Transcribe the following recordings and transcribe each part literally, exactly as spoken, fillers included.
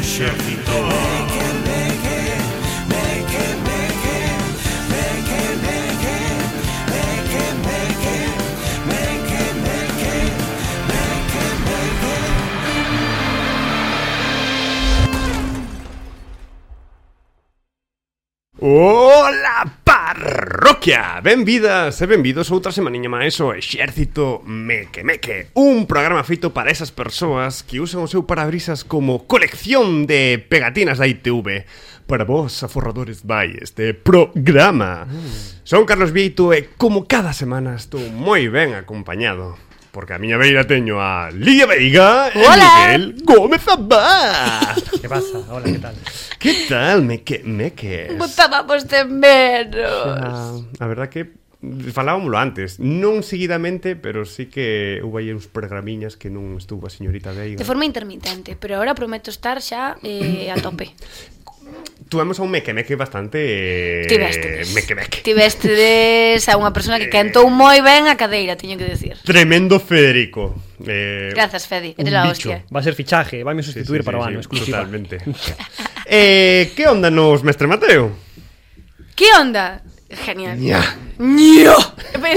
exército. Ola parroquia! Benvidas e benvidos outra semaniña máis ao Exército Meque Meque, un programa feito para esas persoas que usan o seu parabrisas como colección de pegatinas da I T V. Para vos, aforradores, vai este programa. mm. Son Carlos Vieito e como cada semana estou moi ben acompañado, porque a miña beira teño a Lidia Veiga e Miguel Gómez Abad. Que pasa? Hola, que tal? Que tal, Meque Meque? Botábamos de menos. Ah, a verdad que falábamoslo antes, non seguidamente, pero sí que houve aí uns programiñas que non estuvo a señorita Veiga. De forma intermitente, pero ahora prometo estar xa eh, a tope. Tuvemos a un Meque Meque bastante... Tivestedes. Meque Meque. Tivestedes a unha persona que cantou moi ben a cadeira, teño que decir. Tremendo Federico. Eh, Gracias, Fedi, eres la hostia. Va a ser fichaje, vai me sustituir sí, sí, para o sí, ano, sí, exclusiva. Totalmente. eh, que onda nos Mestre Mateo? Que onda? Genial. Ña. Ño.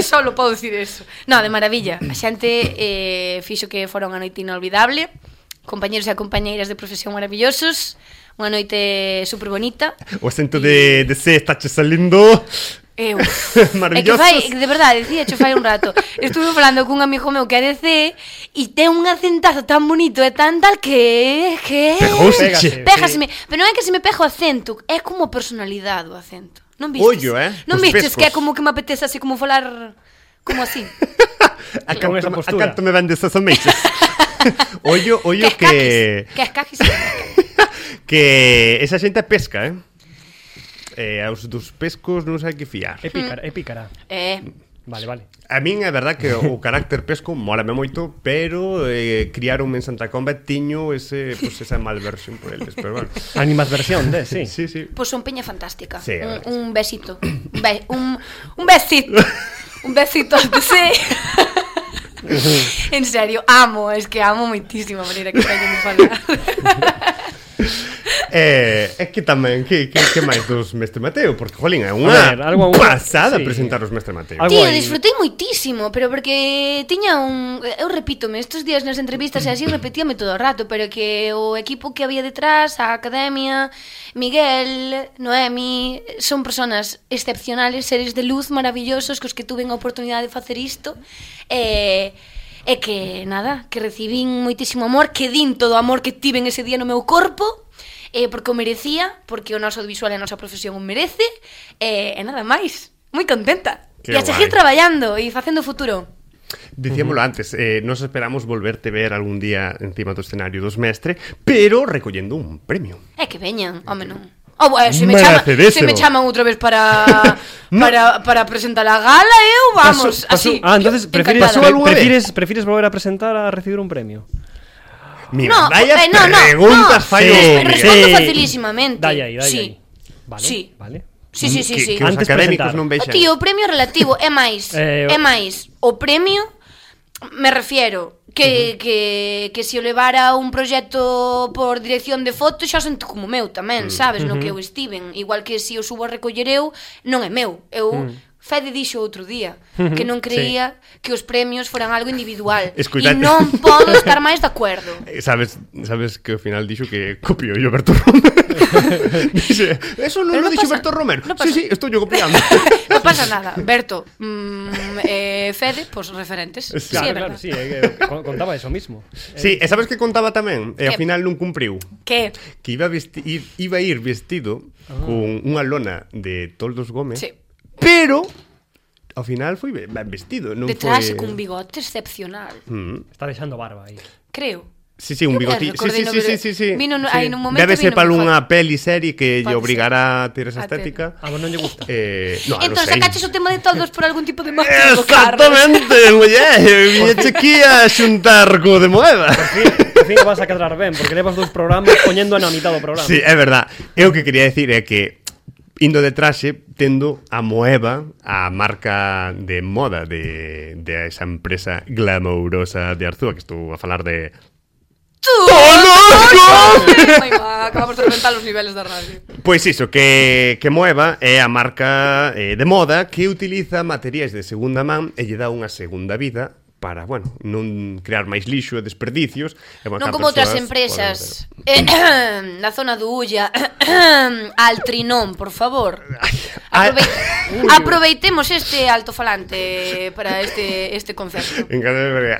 Só lo podo dicir eso. No, de maravilla. A xente eh, fixo que fora unha noite inolvidable. Compañeros e compañeiras de profesión maravillosos. Unha noite super bonita. O acento de, de C está che salindo... Eu. Maravillosos. É que fai, de verdade, dicía che fai un rato. Estuve falando cun amigo meu que é de C e ten un acentazo tan bonito e tan tal que... que... Pegóseche. Pégaseme. Pero non é que se me pega o acento, é como personalidade o acento. Non vistes? Ollo, eh? Non Os vistes pescos. que é como que me apetece así como falar... como así. A Con esa canto, a postura. canto me vendes esas ameixas. Ollo, ollo que... Que es caquis. Que esa xente pesca, eh? Eh, aos dos pescos non sei que fiar. É pícara, é pícara. Eh... Vale, vale. A min é verdad que o carácter pesco mólame moito, pero eh, criaronme en Santa Comba e tiño ese, pues, esa malversión por eles, pero bueno. Animadversión, de, sí. Sí, sí. Pois son peña fantástica. Sí, a ver. un, un besito. Un, be un, un besito. Un besito de sí. En serio, amo, es que amo moitísimo a maneira que teñen de falar. Eh, é que tamén, que, que, que máis dos Mestre Mateo? Porque, jolín, é A unha ver, algo- pasada sí. presentar os Mestre Mateo. Algo Tío, aí. disfrutei moitísimo, pero porque tiña un... Eu repítome, estes días nas entrevistas e así repetíame todo o rato, pero que o equipo que había detrás, a academia, Miguel, Noemi, son personas excepcionales, seres de luz maravillosos cos que tuven a oportunidade de facer isto. E... E que, nada, que recibín moitísimo amor, que din todo o amor que tiven ese día no meu corpo, eh, porque o merecía, porque o noso audiovisual e a nosa profesión o merece, e, e nada máis, moi contenta. Que E a seguir guai. traballando e facendo futuro. Dicíamolo antes, eh, nos esperamos volverte ver algún día encima do escenario dos Mestre, pero recollendo un premio. É que veñan, home non. Oh, bueno, se me chama, se me chaman outra vez para No. para para presentar a gala, eu vamos, Paso- paso- así. Ah, entonces prefieres, encantada. pasou algunha vez? prefieres, prefieres volver a presentar a recibir un premio. Mira, No, vaya eh, no, no, preguntas no. fallo. Sí, Miguel. respondo Sí. facilísimamente. Dai aí, dai Sí. aí. Vale, Sí. vale. Sí, sí, sí, que, sí. que os Antes académicos presentar. non O vexan. tío, o premio relativo é máis, Eh, é máis o premio, me refiero que, que, que se o levara un proxecto por dirección de foto xa sento como meu tamén, sabes, no que eu estiven, igual que se o subo a recoller eu, non é meu, eu Fede dixo outro día que non creía que os premios foran algo individual. Escoita- E non podo estar máis de acordo. Eh, Sabes, sabes que ao final dixo que copiou yo Berto Romero. Dice, eso non Pero lo non dixo pasa- Berto Romero. non Sí, pasa. sí, estou yo copiando. Non pasa nada, Berto, mm, eh, Fede, pois pues, referentes. Sí, Claro, é claro, verdad. sí, eh, eh, con- contaba eso mismo. Sí, e sabes que contaba tamén? E ao Que- final non cumpriu. Que? Que iba a, vesti ir, iba a ir vestido con unha lona de Toldos Gómez, Sí. pero ao final foi ben ben vestido, non De traxe foi... cun bigote excepcional. Mm. Está deixando barba aí. Creo. Sí, sí, un Eu bigoti. Sí, recordei sí, no sí, sí, ver- sí, sí. vino no- Sí. aí nun momento Debe ser vino para moi unha forte. peli serie que lle Pode obrigará a ter esa A ter. estética. Ah, vos non lle gusta. Eh, no, Entón, non sei. sacaches o tema de todos por algún tipo de motivo, Carlos. Exactamente, muller. Viñeche aquí a xuntar co de moeda. Por fin, por fin vas a cadrar ben, porque levas dous programas poñendo na mitad do programa. Sí, é verdad. Eu o que quería decir é que indo de traxe, tendo a Moeva, a marca de moda de, de esa empresa glamourosa de Arzúa, que estou a falar de Ai, ma, acabamos de reventar os niveles da radio. Pois iso, que, que Moeva é a marca eh, de moda que utiliza materiais de segunda man e lle dá unha segunda vida para, bueno, non crear máis lixo e desperdicios. E, bueno, non como outras empresas eh, na zona do Ulla. Altrinón, por favor. Aprove... Aproveitemos este altofalante para este este concerto.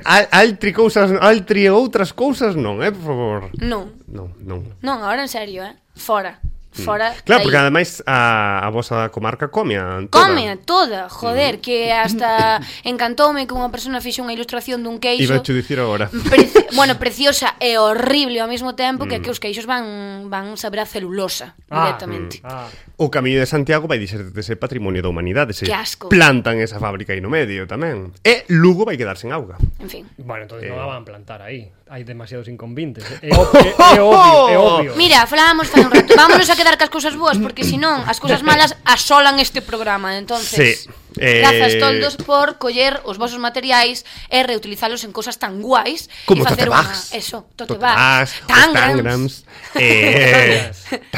Al, altri cousas, altri e outras cousas non, eh, por favor. Non. Non, non. Non, agora en serio, eh. Fora. Fora claro, porque ademais a, a vosa comarca comea toda. Comea toda, joder, mm. que hasta encantoume que unha persona fixe unha ilustración dun queixo. Iba a te dicir agora. Preci bueno, preciosa e horrible ao mesmo tempo, mm. que que os queixos van van saber a celulosa ah, directamente. Mm. Ah. O Camiño de Santiago vai dixer de ser patrimonio da humanidade, se asco. Plantan esa fábrica aí no medio tamén. E Lugo vai quedar sen auga. En fin. Bueno, entonces eh. non a van plantar aí. Hai demasiados inconvintes. É, é, é, é obvio, é obvio. Mira, falábamos fai un rato. Vámonos a quedar cas cousas boas, porque senón as cousas malas asolan este programa. Entonces, sí. eh... grazas toldos por coller os vosos materiais e reutilizalos en cousas tan guais como e facer unha eso, tote bags, tangrams, eh,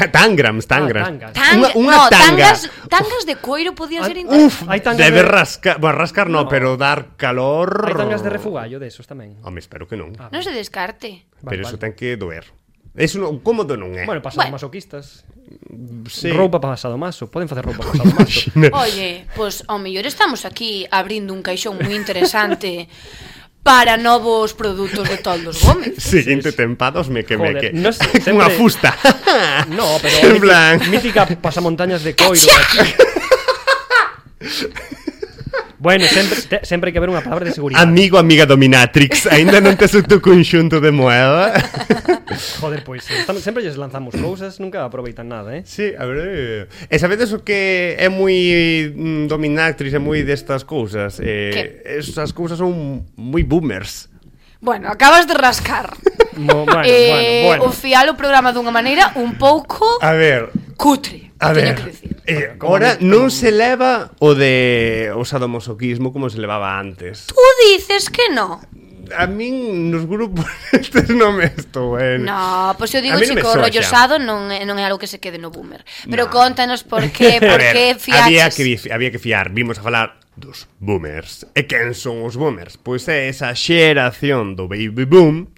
tangrams, tangrams. Unha unha tanga. Tangas de coiro podían ser interesantes. Uf, hai tangas debe rascar, bueno, rascar no, pero dar calor. Hai tangas de refugallo de esos tamén. Home, espero que non. Non se descarte. Pero eso ten que doer. Eso non, cómodo non é. Bueno, pasado bueno. masoquistas. Sí. Roupa pasado maso, poden facer roupa pasado maso. Oye, pois pues, ao mellor estamos aquí abrindo un caixón moi interesante para novos produtos de Toldos Gómez. Seguinte tempados me que me que. No sé, sempre... Unha fusta. No, pero plan... mítica pasamontañas de coiro. Bueno, sempre, te, sempre hai que haber unha palabra de seguridade. Amigo, amiga dominatrix, aínda non tes o teu conxunto de moeda. Joder, pois sí. Estamos, sempre lles lanzamos cousas, nunca aproveitan nada, eh? Sí, a ver. E sabedes o que é moi mm, dominatrix e moi destas cousas? Eh, esas cousas son moi boomers. Bueno, acabas de rascar. No, bueno, eh, bueno, bueno. O fial o programa dunha maneira un pouco a ver, cutre. A ver, eh, ahora non se leva o de o sadomasoquismo como se levaba antes. Tú dices que no. A min nos grupos estes non me estou ben. No, pois pues eu digo, chico, o rollo sado non é, non é algo que se quede no boomer. Pero no. Contanos por qué, por qué fiaches. Había que, había que fiar, vimos a falar dos boomers. E quen son os boomers? Pois é esa xeración do baby boom.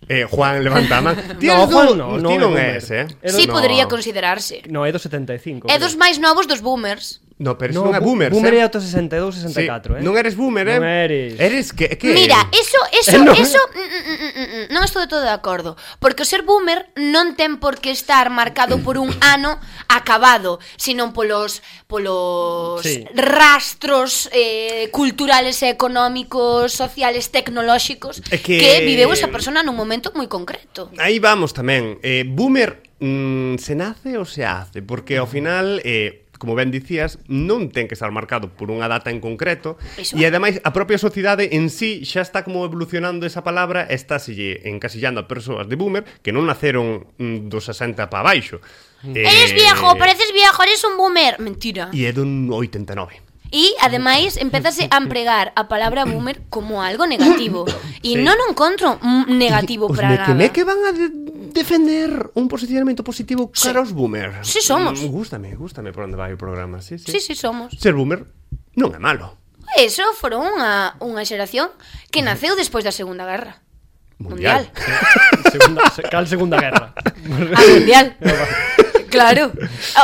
Eh, Juan levanta a man. No, Juan no, no, ti non é ese, eh? Sí, no. Podría considerarse. No, é do setenta e cinco. É dos máis novos dos boomers. No, pero eso no, non é boomer, boomer eh? é ata sesenta e dous, sesenta e catro, sí. eh? Non eres boomer, eh? Non eres. Eres que, que Mira, eso, eso, eh, no. eso mm, mm, mm, mm, non estou de todo de acordo. Porque o ser boomer non ten por que estar marcado por un ano acabado, sino polos polos sí. rastros eh, culturales e económicos, sociales, tecnolóxicos que... que viveu esa persona nun momento moi concreto. Aí vamos tamén. Eh, boomer mm, se nace ou se hace? Porque ao final... Eh, como ben dicías, non ten que estar marcado por unha data en concreto. Eso. E ademais a propia sociedade en sí xa está como evolucionando esa palabra e está sille encasillando a persoas de boomer que non naceron mm, dos sesenta para baixo. Eh, eres viejo, pareces viejo, eres un boomer. Mentira. E é dun oitenta e nove. E, ademais, empezase a empregar a palabra boomer como algo negativo. E sí. Non o encontro negativo os para nada. Os que van a de defender un posicionamento positivo sí. cara aos boomer. Sí, somos. Mm, gústame, gústame por onde vai o programa. Sí, sí, sí, sí somos. Ser boomer non é malo. Eso foron unha, unha xeración que naceu despois da Segunda Guerra Mundial. Mundial. segunda, cal Segunda Guerra? A Mundial. Claro,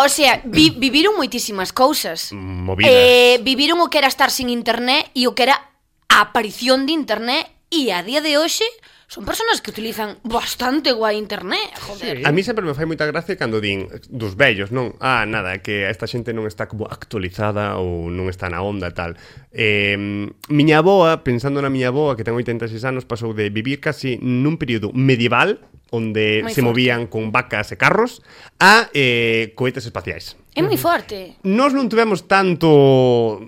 o sea, vi, viviron moitísimas cousas. Movidas. Eh, viviron o que era estar sin internet e o que era a aparición de internet e a día de hoxe son personas que utilizan bastante guai internet, joder. Sí. A mí sempre me fai moita gracia cando din dos vellos, non? Ah, nada, que esta xente non está como actualizada ou non está na onda e tal. Eh, miña aboa, pensando na miña aboa, que ten oitenta e seis anos, pasou de vivir casi nun período medieval onde moi se forte. movían con vacas e carros a eh, cohetes espaciais. É moi forte. Nós non tivemos tanto...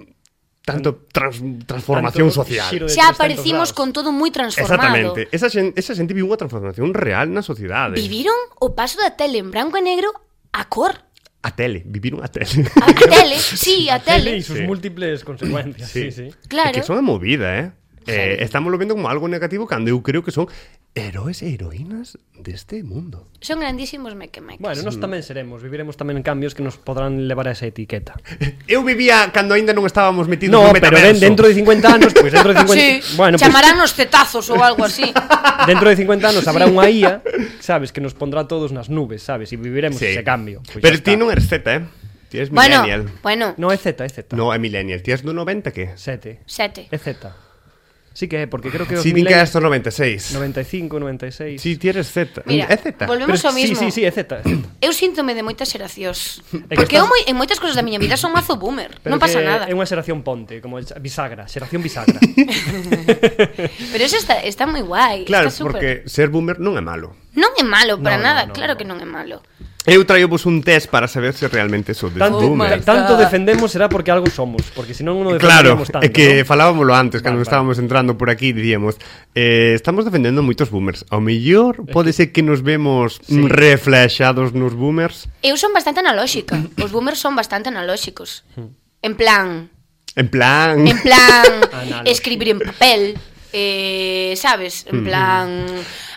tanto trans, transformación tanto social. Xa aparecimos con todo moi transformado. Exactamente. Esa xente, esa xente viu unha transformación real na sociedade. Viviron o paso da tele en branco e negro a cor. A tele, viviron a tele. A, a tele, sí, a, a tele. tele e sus sí. múltiples consecuencias. Sí, sí. sí. Claro. É que son a movida, eh? Eh, estamos lo vendo como algo negativo cando eu creo que son heróis e heroínas deste mundo. Son grandísimos meque-meques. Bueno, nós tamén seremos, viviremos tamén en cambios que nos podrán levar a esa etiqueta. Eu vivía cando aínda non estábamos metidos No, no pero metaverso. den, dentro de cincuenta anos, pois pues dentro de cincuenta... Sí, bueno, chamarán os cetazos ou algo así. Pues, dentro de cincuenta anos habrá unha I A, sabes, que nos pondrá todos nas nubes, sabes, e viviremos Sí. ese cambio. Pues Pero ya ti está. non eres Z, eh? Ti eres Bueno, millennial. bueno, No, é Z, é Z. No, é millennial. Ti és do noventa, que? Sete. sete. É Z. Sí que é, porque creo que os Si din que millennials... és do noventa e seis. noventa e cinco, noventa e seis... Si, ti eres Z. Mira, É Z. volvemos Pero, ao mismo. Sí, sí, sí, é Z, é Z. Eu síntome de moitas xeracións. que Porque estás- eu moi, en moitas cosas da miña vida son mazo boomer. Pero Non pasa que nada. É unha xeración ponte, como el- bisagra, xeración bisagra. Pero eso está, está moi guai. Claro, está super... porque ser boomer non é malo. Non é malo para No, no, nada, no, claro no. que non é malo. Eu traio vos un test para saber se realmente sodes Tanto, boomer. my tanto God. defendemos será porque algo somos, porque senón non Claro, defenderíamos tanto. é que ¿no? falábamoslo antes, cando Vale, estábamos entrando por aquí, diríamos, eh, estamos defendendo moitos boomers. Ao mellor pode ser que nos vemos Sí. reflexados nos boomers. Eu son bastante analóxica. Os boomers son bastante analóxicos. En plan, En plan... en plan, Analóxico. escribir en papel, eh, sabes? En plan,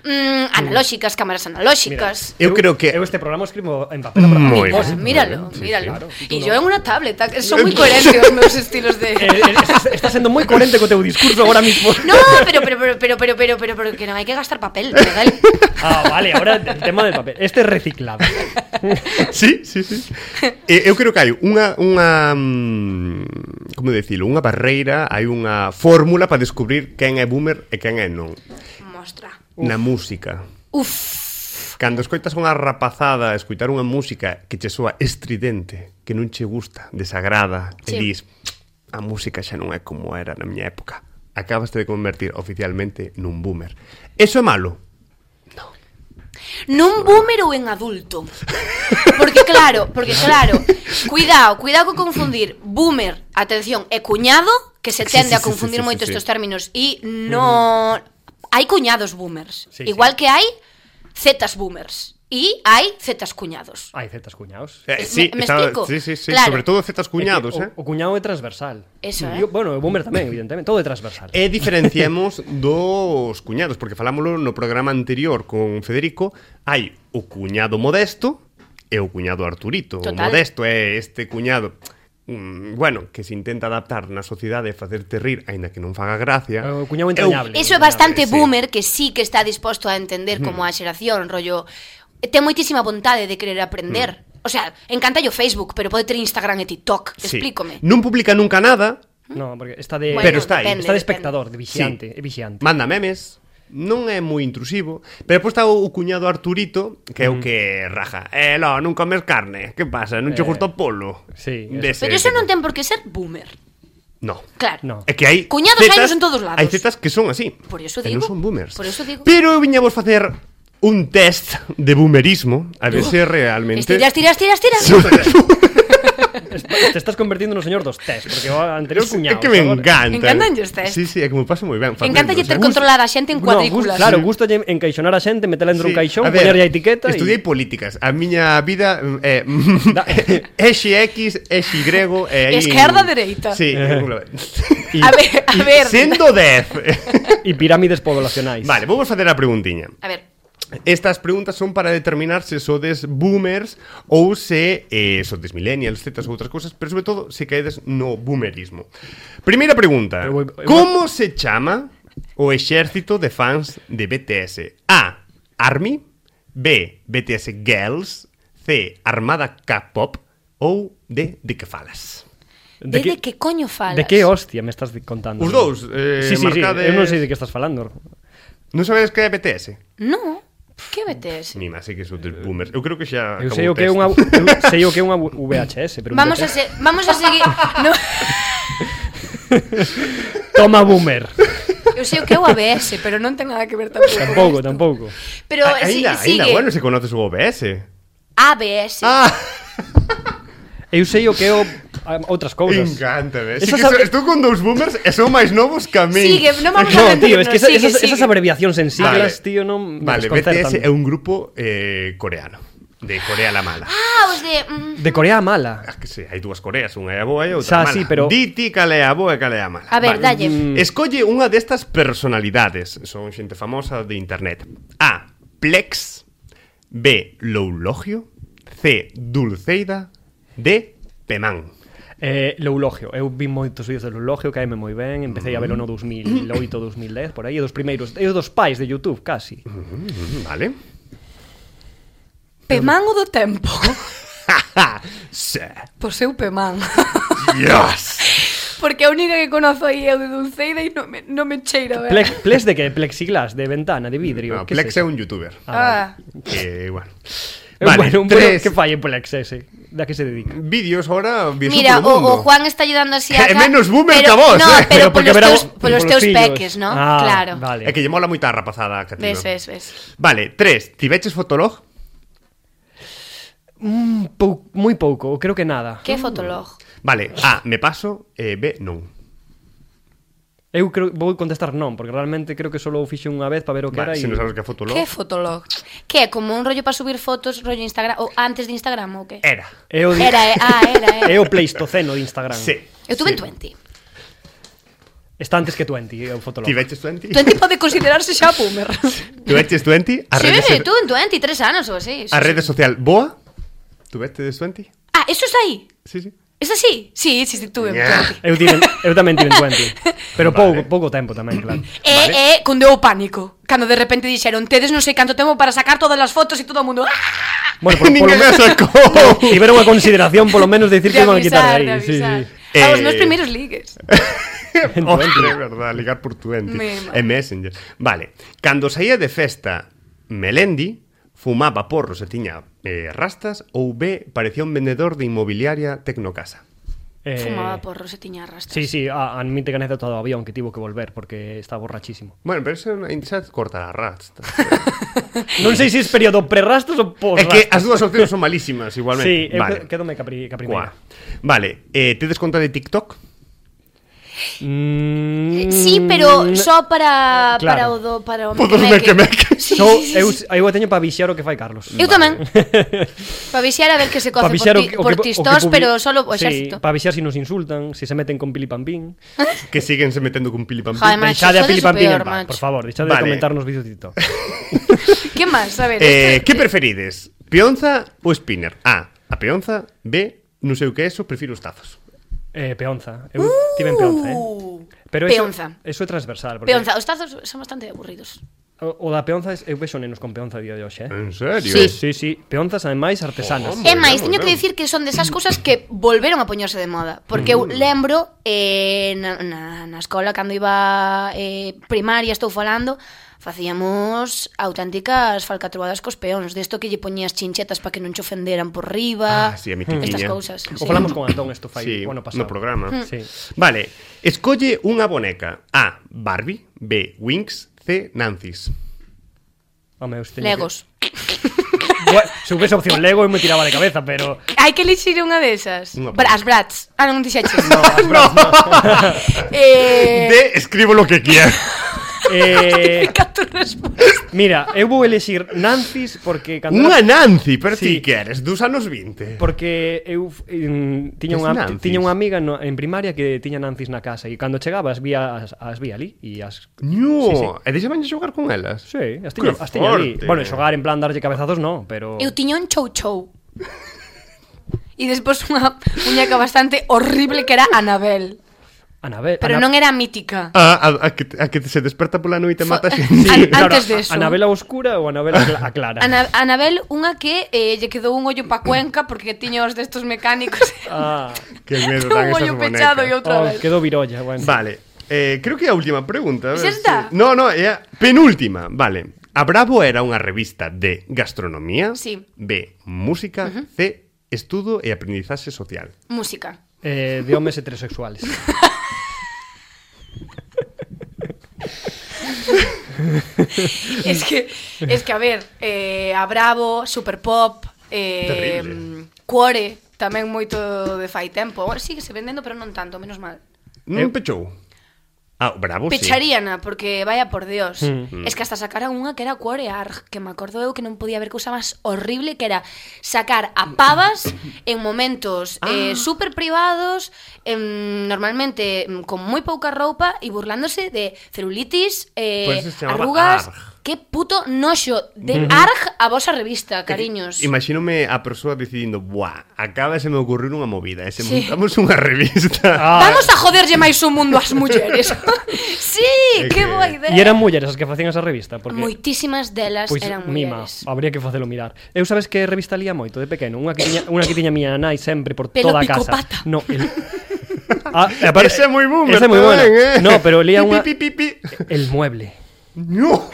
mm, analóxicas, cámaras analóxicas. Eu creo que... Eu este programa o escribo en papel para Moi Pues ben. míralo, Sí, míralo. claro. Y yo en una tablet, ah, son muy coherentes os meus estilos de... Eh, eh, estás, estás sendo moi coherente co teu discurso agora mismo. No, pero, pero, pero, pero, pero, pero, pero, pero que non hai que gastar papel, Miguel. Ah, vale, ahora el tema del papel. Este es reciclado. Sí, sí, sí. Eh, eu creo que hai unha unha mm, como decilo, unha barreira, hai unha fórmula para descubrir quen é boomer e quen é non. Mostra. Na música. Uf, Cando escoitas unha rapazada escoitar unha música que che soa estridente, que non che gusta, desagrada, Sí. e dis, a música xa non é como era na miña época. Acabaste de convertir oficialmente nun boomer. Eso é malo? nun boomer ou en adulto. Porque claro, porque claro, cuidado, cuidado con confundir boomer, atención, e cuñado, que se Sí, tende sí, a sí, confundir sí, sí, moito sí, estos sí. términos e no hai cuñados boomers, Sí, igual sí. que hai zetas boomers e hai zetas cuñados. Hai zetas cuñados. Eh, Me- sí, me estaba- explico? sí, sí, sí, Claro. sobre todo zetas cuñados, É eh? que o, o cuñado é transversal. Eso, Yo- eh. Bueno, o boomer tamén, evidentemente, todo é transversal. E diferenciemos dos cuñados, porque falámoslo no programa anterior con Federico, hai o cuñado modesto e o cuñado Arturito. Total. O modesto é este cuñado, mm, bueno, que se intenta adaptar na sociedade e facerte rir, aínda que non faga gracia. O cuñado entrañable. Eso é bastante sí. boomer que sí que está disposto a entender como a xeración, rollo, ten moitísima vontade de querer aprender. O sea, encanta o Facebook, pero pode ter Instagram e TikTok, Sí. explícome. Non publica nunca nada, No, porque está de Bueno, Pero está aí. depende, está de depende. espectador, de vixiante, Sí. é vixiante. manda memes, non é moi intrusivo, pero depois está o cuñado Arturito, que é o que raja. Eh, no, non comes carne, que pasa? Non che Eh, gusta o polo? sí, Dese Pero eso tipo. non ten por que ser boomer. No. Claro. No. É que hai Cuñados zetas- hainos en todos lados. Hai zetas que son así. Por iso e digo. non son boomers. Por iso digo. Pero eu viña vos facer un test de boomerismo, a ver se realmente Estiras, tiras, tiras, tiras. Te estás convertindo no señor dos test, porque o anterior É cuñado. que me encanta. Encantan os test. Sí, sí, é que me paso moi ben facendos, Encántalle ter eh. controlada a xente en No, cuadrículas. gus- claro, gusta encaixonar a xente, metela dentro Sí. un caixón, A ver, poñerlle a etiqueta Estudiei e... políticas. A miña vida é Da- exe X, exe Y e aí Esquerda, dereita. Sí. E, A ver, a ver. Sendo dez. e pirámides poblacionais. Vale, vou vos facer a preguntiña. A ver, Estas preguntas son para determinar se sodes boomers ou se eh, sodes millennials, zetas ou outras cousas, pero sobre todo se caedes no boomerismo. Primeira pregunta. Eu vou- eu vou- Como se chama o exército de fans de B T S? A. Army. B. B T S Girls. C. Armada K-pop. Ou D. De que falas? de, de que coño falas? De que hostia me estás contando? Os dous, eh, sí, sí, marcades- sí, eu non sei de que estás falando. Non sabedes que é B T S? No, que B T S? Ni máis, sei que sodes boomers. Eu creo que xa Eu acabou sei o o que é test. unha eu sei o que é unha V H S, pero un Vamos B T a S. se, vamos a seguir. No, Toma boomer. eu sei o que é o A B S, pero non ten nada que ver tampouco. Tampouco, con isto. tampouco. Pero A- si, Ainda, sigue. ainda, bueno, se conoces o O B S. A B S. Ah, Eu sei o que é o a- outras cousas. encántame. Sí Esas que ab- so, estou con dous boomers e son máis novos que a min. Sigue, non vamos a No, rendirnos, tío, es que esa- sigue, esas, sigue. esas abreviacións en siglas, Vale. tío, non me Vale, B T S desconcertan. é un grupo eh, coreano. De Corea la mala. Ah, os de... Mm, De Corea a mala. Ah, que sí, hai dúas Coreas, unha é a boa e outra Xa, a mala. sí, pero- Di ti cal é a boa e cal é a mala. a ver, Vale. dalle. Mm. Escolle unha destas personalidades. Son xente famosa de internet. A. Plex. B. Loulogio. C. Dulceida. D. Pemán. Eh, Loulogio, eu vi moitos vídeos de Loulogio, caeme moi ben, empecé a velo no dos mil oito, dos mil dez, por aí, e dos primeiros, e os dos pais de YouTube, casi. Mm, vale. Pemán o do tempo. Sí. Pois eu Pemán. Dios. Porque a única que conozo aí é o de Dulceida e non me, non me cheira ben. Plex, plex de que? Plexiglas, de ventana, de vidrio. No, que Plex es é eso? un youtuber. Ah, Que, bueno. Eh, Vale, bueno, un tres. bueno, que fai en Plex ese? Da que se dedica? Vídeos ahora viaxo Mira, polo mundo. o, o Juan está ayudando así a... É ca- menos boomer pero, que a vos, no, eh. pero, Pero porque polos verá teus, vos- polos polos teus fillos. peques, ¿no? Ah, Claro. vale. É que lle mola moita rapazada, Catino. Ves, ves, ves. Vale, tres. Tiveches Fotolog? Mm, pou, moi pouco, creo que nada. Que fotolog? Vale, A, me paso, e B, non. Eu creo, vou contestar non, porque realmente creo que solo o fixe unha vez para ver o que Vale, era se e... non sabes que é Fotolog. que fotolog? Que é como un rollo para subir fotos, rollo Instagram, ou antes de Instagram, ou que? Era. É o, di- Era, eh, ah, era, era. é o Pleistoceno de Instagram. Sí. Eu tuve sí. en twenty. Está antes que twenty, é o Fotolog. Tiveches twenty? twenty pode considerarse xa boomer. Tiveches twenty? A Sí, rede, tuve en twenty, tres anos ou así. Sí, a sí. rede social Boa? Tuveches twenty? Ah, eso está aí? Sí, sí. ¿Es así? Sí, sí, sí, tuve en Yeah. twenty. Eu, tive, eu tamén tive en twenty. Pero Vale. pouco, pouco tempo tamén, claro. Eh, Vale. eh, Con deu pánico. Cando de repente dixeron, tedes non sei canto tempo para sacar todas as fotos e todo o mundo... ¡Ah! Bueno, por, Ninguén me polo sacou. tiveron a consideración polo menos de dicir que De iban a quitar avisar, de aí. de Sí, avisar. sí. A os Eh, meus primeiros ligues. En Hombre, twenty. verdad, ligar por twenty. Me- E Messenger. Vale, cando saía de festa Melendi, fumaba porros e tiña eh, rastas, ou B, parecía un vendedor de inmobiliaria Tecnocasa. Eh, Fumaba porros e tiña rastas. Sí, sí, a, admite que anécdota do avión que tivo que volver porque estaba borrachísimo. Bueno, pero eso xa corta las rastas. Non sei se é período pre-rastas ou É post-rastas. que as dúas opcións son malísimas, igualmente. Sí, eu vale. quedome capri, capri Cuá. Vale, eh, tedes conta de TikTok? Mm, Sí, pero só para Claro. para o do para o Podo meque-meque. meque-meque. Sí, So, sí, sí, eu, sí. eu a teño para vixiar o que fai Carlos. Eu tamén. Para vixiar a ver que se coce Pa por, vixiar o ti, que- o por que- o que tistos, publi- pero solo o Sí, exército. para vixiar si nos insultan, si se meten con Pili Pampín. Que siguen se metendo con pili pampín. Joder, macho, Deixade a sodes Pili o Pampín peor, en paz, macho. por favor, deixade Vale. de comentar nos vídeos de TikTok. Que máis? A ver, Eh, este- que preferides? Peonza ou spinner? A, a peonza. B, non sei o que é eso, prefiro os tazos. Eh, peonza. Eu tive en peonza, eh. Pero eso, Peonza. eso é transversal, porque Peonza, os tazos son bastante aburridos. o, o da peonza, es- eu vexo nenos con peonza a día de hoxe, eh. En serio? Sí. Sí, sí, peonzas ademais artesanas. Oh, É Bueno, máis, teño bueno. que dicir que son desas cousas que volveron a poñerse de moda. Porque eu lembro eh, na, na, na escola, cando iba eh, primaria, estou falando, facíamos auténticas falcatruadas cos peóns. Desto que lle poñías chinchetas para que non che ofenderan por riba. Ah, sí, a Estas mitiquiña. cousas. O falamos con Antón isto fai Sí, o ano pasado. no programa. Sí. Vale, escolle unha boneca. A, Barbie. B, Winx. C, Nancy's. Home, eu teño Legos. Que... Bueno, se houvese opción Lego eu me tiraba de cabeza, pero Hai que elixir unha desas. Unha Bra- As brats. Ah, non dixeches. no, as bras, no. Eh, D, escribo lo que quiera. eh, Cato resposta. mira, eu vou elixir Nancy's porque cando Unha era- Nancy, pero ti Sí. queres, dos anos vinte. porque eu mm, tiña Que unha es Nancy's? tiña unha amiga no, en primaria que tiña Nancy's na casa e cando chegaba as vía as, as vía ali e as No, Sí, sí. e deixaban xogar con elas. Sí, as tiña, Que as tiña ali. forte. Bueno, xogar en plan darlle cabezazos no, pero Eu tiña un chou chou. E despois unha muñeca bastante horrible que era Anabel. Anabel, Pero Ana- non era mítica. A, a, a, que, a que se desperta pola noite e Fo- mata xente. An- Claro, antes de eso. Anabela oscura ou Anabela cla- a clara. Ana, Anabel, unha que eh, lle quedou un ollo pa Cuenca porque tiña os destos mecánicos. Ah, Que medo dan un esas ollo pechado e bonecas. outra oh, vez. quedou virolla, bueno. Vale, eh, creo que é a última pregunta. a ver Xa está? se- No, no, é a penúltima. Vale. A Bravo era unha revista de gastronomía. Sí. B, música. C, estudo e aprendizaxe social. Música. Eh, de homes heterosexuales. Es que, es que a ver, eh, a Bravo, Super Pop, eh, Terrible. Cuore, tamén moito de fai tempo. Agora síguese vendendo, pero non tanto, menos mal. Non Eu- pechou? Ah, bravo, sí. Pecharíana, porque vaya por Dios. Mm. Es que hasta sacaran unha que era Cuore Arg, que me acordo eu que non podía haber cousa máis horrible, que era sacar a pavas en momentos eh, super privados, em, normalmente em, con moi pouca roupa e burlándose de celulitis, eh, Pues se chamaba arrugas. Arg. Que puto noxo de Arg a vosa revista, cariños. Imagínome a persoa decidindo, buah, acaba de se me ocurrir unha movida, e se Sí. montamos unha revista. Ah, Vamos a joderlle máis o mundo ás mulleres. Sí, É que que- boa idea. E eran mulleres as que facían esa revista, porque Moitísimas delas pois eran mima, mulleres. habría que facelo mirar. Eu sabes que revista lía moito de pequeno, unha que tiña unha que tiña miña nai sempre por Pelo toda a casa. picopata. No, el Ah, e aparte- Ese é moi boomer Esa é moi buena. tamén, eh. No, pero lía unha Pi, pi, pi, pi. El Mueble, No.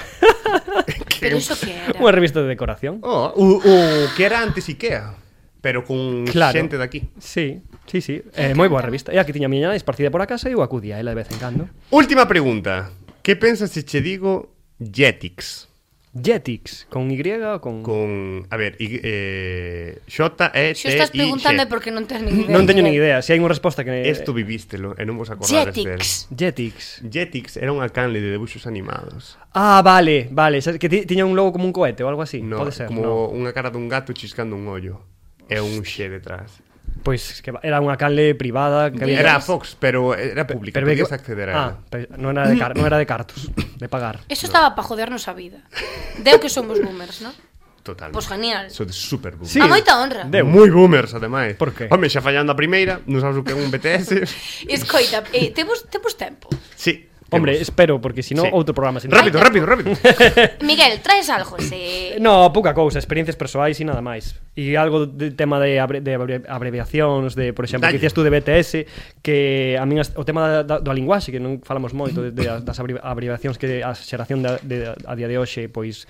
Pero iso que era? unha revista de decoración. Oh, o, o que era antes Ikea, pero con Claro. xente daqui. Sí, sí, sí, é moi boa revista. E aquí tiña miña nai esparcida por a casa e eu acudía a ela de vez en cando. Última pregunta. Que pensas se che digo Jetix? Jetix, con Y ou con... Con, a ver, y, eh, J E T I Se o estás preguntando é porque non tens nin idea. Non teño nin idea, se hai unha resposta que... Esto vivístelo e non vos acordades del. Jetix. Jetix. Jetix era unha canle de debuxos animados. Ah, vale, vale, sabes que ti- tiña un logo como un cohete ou algo así, No, pode ser, como no. unha cara dun gato chiscando un ollo. E un xe detrás. Pois que era unha canle privada que había... Era Fox, pero era pública, Pero ve podías que- acceder a Ah, ela. pero non era de car non era de cartos, de pagar. Eso estaba para jodernos a vida. Deu que somos boomers, non? Total. Pois genial. Eso de super boomer. Sí. A moita honra. Deu. Moi boomers, ademais. Por qué? Home, xa fallando a primeira, non sabes o que é un B T S. Escoita, eh, temos, temos tempo. Sí. Hombre, temos. espero, porque si no, Sí. outro programa sin Rápido, rápido, rápido. Miguel, traes algo, se... No, pouca cousa, experiencias persoais e nada máis. E algo de tema de, abre, de abre, abreviacións, de, por exemplo, Dalle. que dicías tú de B T S, que a min as- o tema da, da, da linguaxe, que non falamos moito de, de, das abri- abreviacións que a xeración da, de, a día de hoxe, pois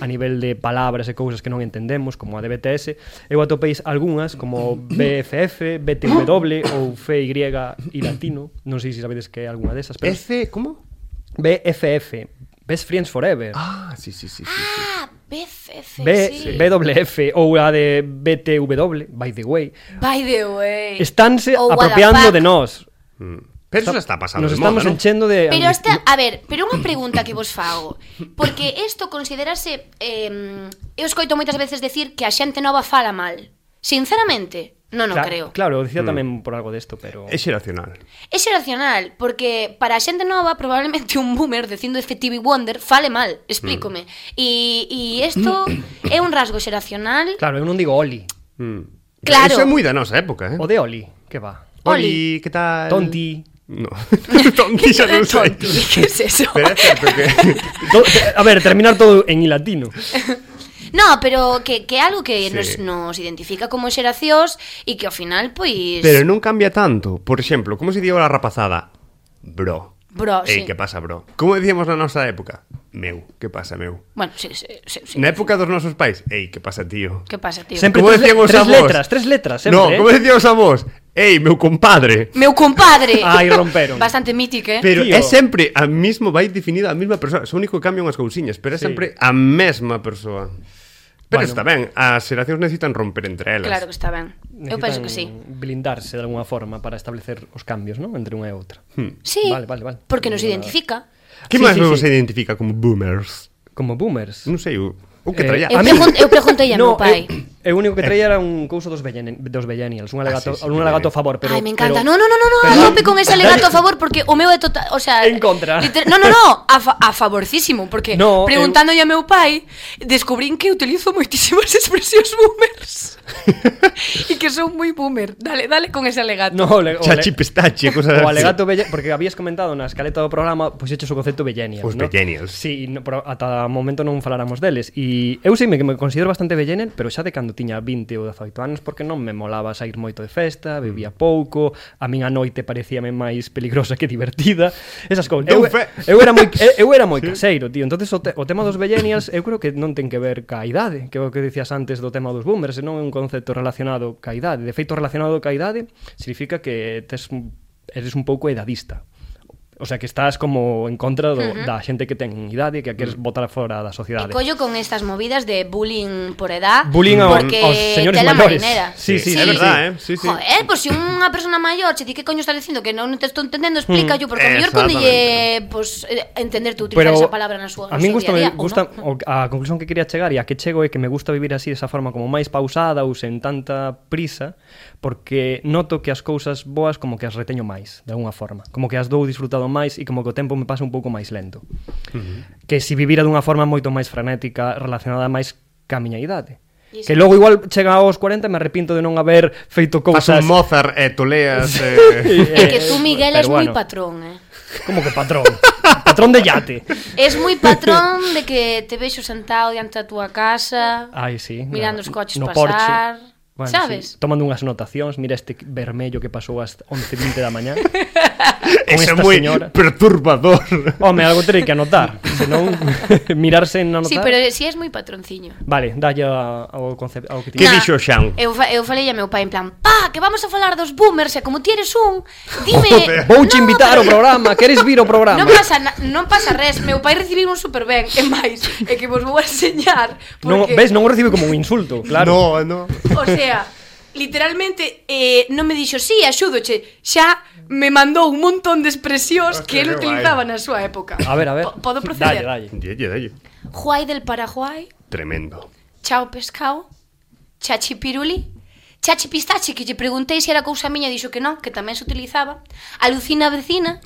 a nivel de palabras e cousas que non entendemos, como a de B T S, eu atopeis algunhas como B F F, B T W ou F Y e latino, non sei se sabedes que é algunha desas, pero F, como? B F F, Best Friends Forever. Ah, sí, sí, sí, sí, sí. Ah, B F F, B, sí. B W F ou a de B T W, by the way, By the way. estánse Oh, what the apropiando fuck. de nós. Mm. Pero eso está pasando Nos de estamos moda, ¿no? enchendo de... Pero esta, a ver, pero unha pregunta que vos fago. Porque isto considerase eh, eu escoito moitas veces decir que a xente nova fala mal. Sinceramente, non o Cla- creo. Claro, dicía Mm. tamén por algo desto, pero... É xeracional. É xeracional, porque para a xente nova probablemente un boomer dicindo de Stevie Wonder fale mal, explícome. E e isto é un rasgo xeracional. Claro, eu non digo Oli. Mm. Claro. Eso é moi da nosa época, eh? O de Oli, que va. Oli, que tal? Tonti. No. Tonti xa non sei. Tonti, que es eso? Pero é certo que... To- a ver, terminar todo en latino. No, pero que, que algo que Sí. nos, nos identifica como xeracións e que ao final, pois... Pero non cambia tanto. Por exemplo, como se digo a rapazada? Bro. Bro, Ei, sí. que pasa, bro? Como decíamos na nosa época? Meu, que pasa, meu? Bueno, sí, sí, sí, sí. Na época dos nosos pais? Ei, que pasa, tío? Que pasa, tío? Sempre Como tres, decían os tres avós? letras, tres letras, sempre, No, eh? como decían os avós? Ei, meu compadre. Meu compadre. Ai, romperon. Bastante mítico, eh? Pero Tío. é sempre a mismo, vai definida a mesma persoa. Só único que cambian as cousiñas, pero é Sí. sempre a mesma persoa. Pero Bueno. está ben, as xeracións necesitan romper entre elas. Claro que está ben. Eu penso que sí. Necesitan blindarse de alguna forma para establecer os cambios, ¿no? Entre unha e outra. Sí, Vale, vale, vale. porque nos Vale. identifica. Que Sí, máis sí, vos sí. identifica como boomers? Como boomers. Non sei, o, o que Eh, traía. Eu, A mí- pregun eu preguntei a meu No, pai. eu, eu único que traía era un couso dos, belleni, dos Millennials, un alegato, Ah, sí, sí, un alegato a favor, pero... Ai, me encanta. pero- no, no, no, no, no, pero- a tope con ese alegato a favor porque o meu é total, o sea, En contra. liter- No, no, no, a, fa a favorcísimo, porque No, preguntándolle a meu pai, descubrín que utilizo moitísimas expresións boomers. E que son moi boomer. Dale, dale con ese alegato. No, o, le, o, Chachi ale- pestache, cosas o así. alegato belle, porque habías comentado na escaleta do programa, pois pues hechos o concepto Millennials, Os ¿no? millennials. Sí, no, pero ata o momento non faláramos deles. E eu sei que me considero bastante Millennial, pero xa de cando tiña vinte ou dezaoito anos, porque non me molaba sair moito de festa, bebía pouco, a min a noite parecíame máis peligrosa que divertida, esas cousas. Eu, Dou fe. eu era moi eu era moi caseiro, tío. Entonces o, te, o tema dos Millennials, eu creo que non ten que ver ca idade, que é o que dicías antes do tema dos boomers, non é un concepto relacionado ca idade. De feito, relacionado ca idade significa que tes un- eres un pouco edadista. O sea, que estás como en contra do, uh-huh. da xente que ten idade e que queres botar fora da sociedade. E collo con estas movidas de bullying por edad. Bullying aos, porque aos señores maiores. Sí, sí, sí, é sí, verdad, sí. eh? Sí, sí. Joder, pois pues, se unha persona maior che di que coño estás dicindo que non te estou entendendo, explica yo, porque a mellor cando lle pues, entender tú utilizar esa palabra na súa a mí gusta, día a día, me gusta no? A conclusión que quería chegar e a que chego é que me gusta vivir así desa forma como máis pausada ou sen tanta prisa, porque noto que as cousas boas como que as reteño máis, de alguna forma, como que as dou disfrutado máis e como que o tempo me pasa un pouco máis lento. Uh-huh. Que se vivira dunha forma moito máis frenética, relacionada máis ca miña idade. Sí. Que logo igual chega aos cuarenta e me arrepinto de non haber feito cousas. Fas un Mozart e eh, toleas eh... É que tú, Miguel, es bueno. moi patrón, eh. Como que patrón? Patrón de yate. Es moi patrón de que te vexo sentado diante da túa casa. Ai, sí. Mirando os coches no pasar. Porche. Bueno, sabes? Sí. Tomando unhas anotacións, mira este vermello que pasou ás once e vinte da mañá. Eso é moi señora. Perturbador. Home, algo terei que anotar, senón mirarse en anotar. Sí, pero si es moi patronciño. Vale, dalle ao concepto ao que Que tiña. dixo Xan? Eu, fa, eu falei a meu pai en plan, pa, que vamos a falar dos boomers, e como ti eres un, dime... Vouche no, invitar ao programa, queres vir ao programa? Non pasa, na, non pasa res, meu pai recibiu un super ben, e máis, é que vos vou a enseñar, porque... Non, ves, non o recibe como un insulto, claro. No, no. O sea, literalmente eh, non me dixo, sí, axúdoche, xa me mandou un montón de expresións Hostia, que él que utilizaba na súa época. A ver, a ver. P Podo proceder? Dalle, dalle. Dalle, dalle. Juai del Paraguay, Tremendo. chao pescao, chachi piruli, chachi pistache, que lle preguntei se era cousa miña, dixo que non, que tamén se utilizaba. Alucina vecina,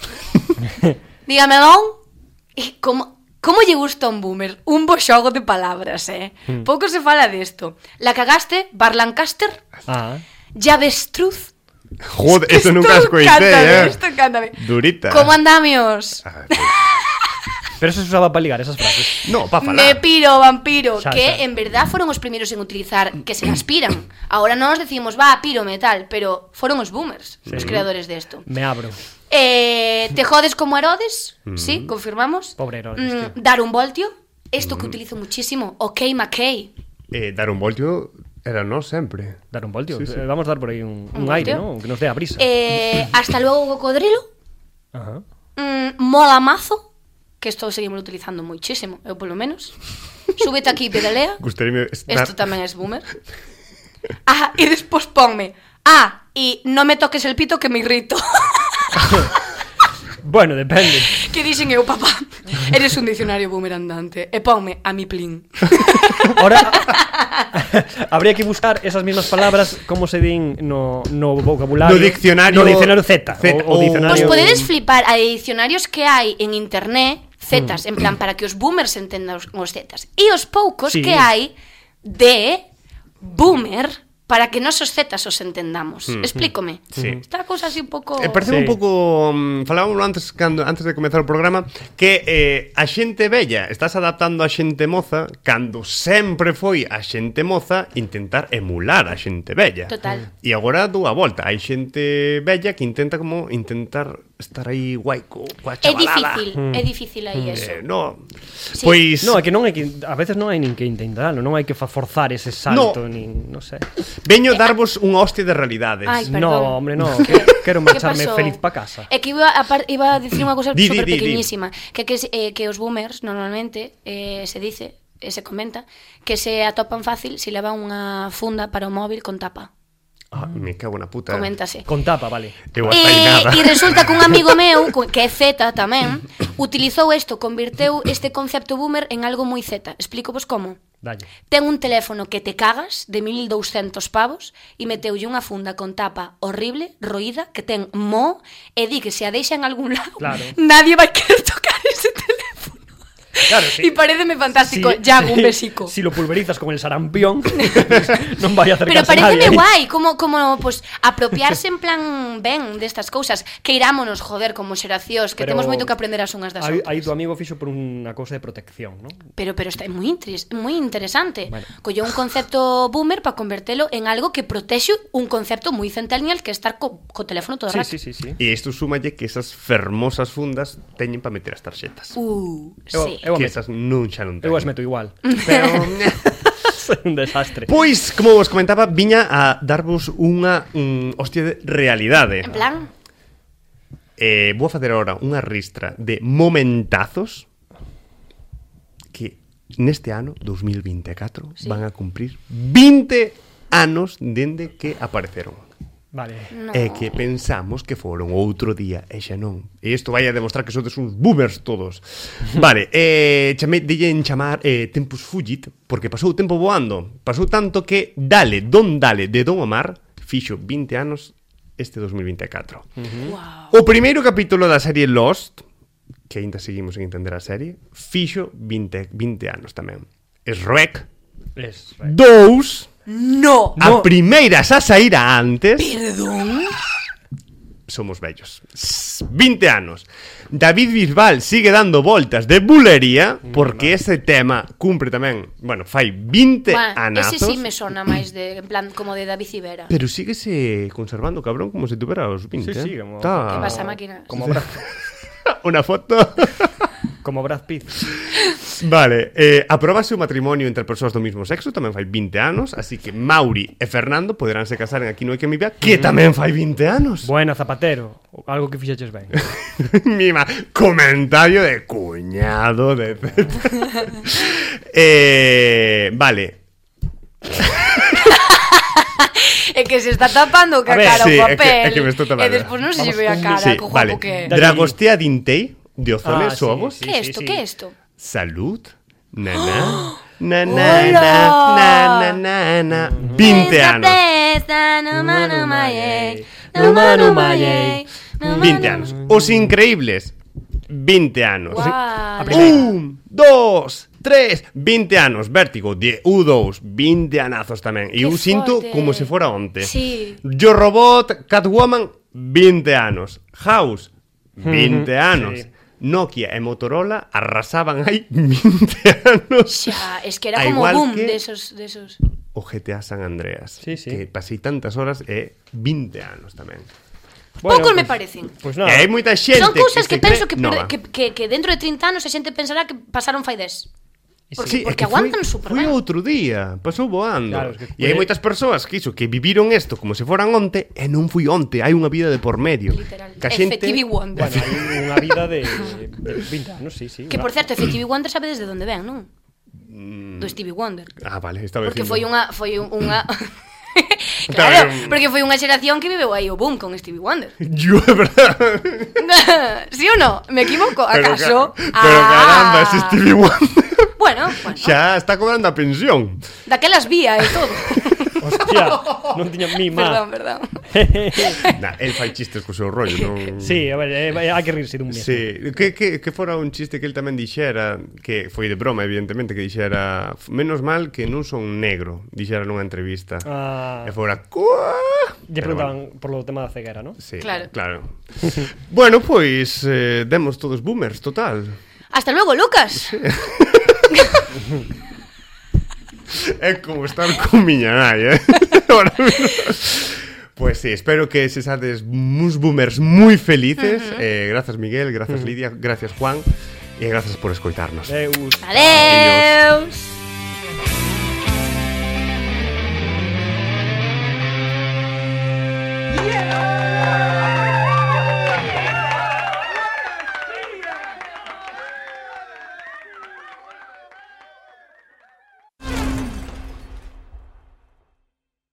dígame don, e como... Como lle gusta un boomer? Un bo xogo de palabras, eh? Hmm. Pouco se fala desto. La cagaste, Bar Lancaster, Ah. Llavestruz. Joder, eso nunca os coité, eh? Esto cántame. Durita. ¿Cómo andamios? Ah, Pero eso se usaba para ligar esas frases. no, pa falar. Me piro, vampiro. Xa, que xa. en verdad foron os primeiros en utilizar que se aspiran. Ahora nos decimos, va, pírome, tal. Pero foron os boomers, sí. Os creadores de esto. Me abro. Eh, te jodes como Herodes, mm. sí, confirmamos. Pobre Herodes, tío. mm, Dar un voltio. Esto mm. que utilizo muchísimo. Ok, McKay. Eh, dar un voltio era no sempre. Dar un voltio. Sí, sí. Eh, Vamos a dar por aí un, un, Un aire, voltio. ¿no? Que nos dé a brisa. eh, Hasta luego, cocodrilo. Ajá. mm, Mola mazo. Que esto seguimos utilizando muchísimo, eu polo menos. Súbete aquí e pedalea. Gustaríame estar... Esto tamén es boomer. Ah, e despois ponme. Ah, e non me toques el pito que me irrito. Bueno, depende. Que dixen eu, papá, eres un dicionario boomer andante. E ponme a mi plin. Ahora habría que buscar esas mismas palabras como se din no, no vocabulario. No diccionario- No diccionario Z, Z, o, o o- diccionario. Pois podedes flipar a diccionarios que hai en internet, zetas, en plan, para que os boomers entendan os, os zetas. E os poucos Sí. que hai de boomer para que nosos zetas os entendamos. Mm. Explícome. Sí. Está a cousa así un pouco... Eh, parece Sí. un pouco um, falábamos antes cando antes de comezar o programa que eh, a xente bella estás adaptando a xente moza cando sempre foi a xente moza intentar emular a xente bella. Total. E agora dou a volta, hai xente bella que intenta como intentar estar aí guai co, coa É chavalada. difícil, é difícil aí eso. Eh, no. Sí. Pois No, é que non hai que a veces non hai nin que intentarlo, non hai que fa- forzar ese salto, no. nin, non sei. veño darvos unha hostia de realidades. Ai, perdón. No, hombre, no, que, quero Que marcharme pasou? feliz pa casa. É que iba a, par, iba a dicir unha cousa Di, di, super di, di. pequeñísima, que que, eh, que os boomers normalmente eh, se dice, eh, se comenta que se atopan fácil se levan unha funda para o móvil con tapa. Ah, me cago na puta. Coméntase. Con tapa, vale. Eu hasta aí nada. E, e resulta que un amigo meu, co- que é Z tamén, utilizou isto, converteu este concepto boomer en algo moi Z. Explico vos como. Dalle. Ten un teléfono que te cagas de mil douscentos pavos e meteulle unha funda con tapa horrible, roída, que ten mo e di que se a deixa en algún lado Claro. nadie vai querer tocar ese teléfono. Claro, sí. E pareceme fantástico, Si- ya un si- besico. Si lo pulverizas con el sarampión, non vai a Pero acercarse nadie. pareceme aí. guai, como, como pues, apropiarse en plan ben destas cousas. Que irámonos, joder, como xeracións, que Pero temos moito que aprender as unhas das Aí, outras. aí tu amigo fixo por unha cousa de protección, ¿no? Pero pero está moi interes, moi interesante. Bueno. Colleu un concepto boomer para convertelo en algo que protexe un concepto moi centennial que é estar co, co teléfono todo o Sí, rato. sí, sí, sí. E isto súmalle que esas fermosas fundas teñen para meter as tarxetas. Uh, Eu, sí. eu, que meto, esas non xa non eu as teñen. meto igual. Pero Soy un desastre. Pois, como vos comentaba, viña a darvos unha um, hostia de realidade. En plan, eh, vou facer agora unha ristra de momentazos que neste ano dos mil vinte e catro sí. van a cumprir vinte anos dende que apareceron. Vale. No. E que pensamos que foron outro día e xa non. E isto vai a demostrar que sodes uns boomers todos. Vale, eh, chamei, dille en chamar eh, Tempus Fugit, porque pasou o tempo voando. Pasou tanto que Dale, Don Dale de Don Omar fixo vinte anos este dos mil vinte e catro. Uh-huh. Wow. O primeiro capítulo da serie Lost, que ainda seguimos en entender a serie, fixo vinte, vinte anos tamén. Shrek Es, dous, No. a primeira xa saíra antes. Perdón. Somos vellos. vinte anos. David Bisbal sigue dando voltas de bulería porque ese tema cumpre tamén, bueno, fai vinte Bueno, anazos. ese sí me sona máis de, en plan, como de David Civera. Pero síguese conservando, cabrón, como se tuviera os vinte. Sí, sí, eh. como- Tá. Que pasa, máquina? Como Brad, Una foto. como Brad Pitt. Vale, eh, aprobase o matrimonio entre persoas do mesmo sexo, tamén fai vinte anos, así que Mauri e Fernando poderánse casar en Aquí non hai que me vea, que tamén fai vinte anos. Buena, Zapatero. Algo que fixeches ben. Mima, comentario de cuñado de eh, vale. É que se está tapando ca A ver, cara sí, o é que- papel. é que me estou tapando. E despois non se lle ve a cara, Sí, co vale. guapo que é. Dale. Dragostea Dintei de Ozone Ah, sí, Somos. sí. Que é isto? Que é isto? Salud. Na na. Na na Hola. na na na na. vinte anos. vinte anos. Os Increíbles. vinte anos. Guau. Un, dos, tres, vinte anos. Vértigo de U dous, vinte anazos tamén. E Que eu sinto forte. como se fora onte. Sí. Yo Robot, Catwoman, vinte anos. House, vinte anos. Sí. Nokia e Motorola arrasaban hai vinte anos. Xa, es que era A como igual boom que de esos, de esos. o G T A San Andreas, Sí, sí. que pasei tantas horas e vinte anos tamén. Poucos me pues- parecen. Pues E nada. hai moita xente Son cousas que, se penso cree que, nova. que, que, que dentro de trinta anos a xente pensará que pasaron fai dez. Porque, Sí, é porque que aguantan foi, super foi ben. outro día, pasou voando. Claro, es que E hai foi- moitas persoas que iso, que viviron isto como se foran onte e non fui onte, hai unha vida de por medio. Literal. Que a xente Effective Wonder. Bueno, hai unha vida de, de vinte anos, sí, sí. Que por certo, Effective Wonder sabe desde onde ven, non? Do Stevie Wonder. Ah, vale, estaba Porque dicindo. foi unha foi un- unha Estaba Claro, un- porque foi unha xeración que viveu aí o boom con Stevie Wonder. Yo, de verdad. ¿Sí o no? ¿Me equivoco? Pero, ¿Acaso? ca- pero caramba, ese Stevie Wonder Bueno, bueno. xa está cobrando a pensión. Daquelas vía e todo. Hostia, non tiña mi má. Perdón, perdón. Nah, el fai chistes co seu rollo, non? Sí, a ver, eh, hai que rirse dun mesmo. Sí, que, que, que fora un chiste que el tamén dixera, que foi de broma, evidentemente, que dixera menos mal que non son negro, dixera nunha entrevista. Ah, E fora Cuá! lle Pero preguntaban por lo tema da ceguera, ¿no? Sí, Claro. claro. Bueno, pois eh, demos todos boomers, total. Hasta luego, Lucas. É como estar con miña nai, eh? Ahora mismo. Pues sí, espero que se sades uns boomers moi felices. Uh -huh. eh, grazas Miguel, grazas Lidia, gracias Juan e grazas por escoitarnos. Deus. Adeus.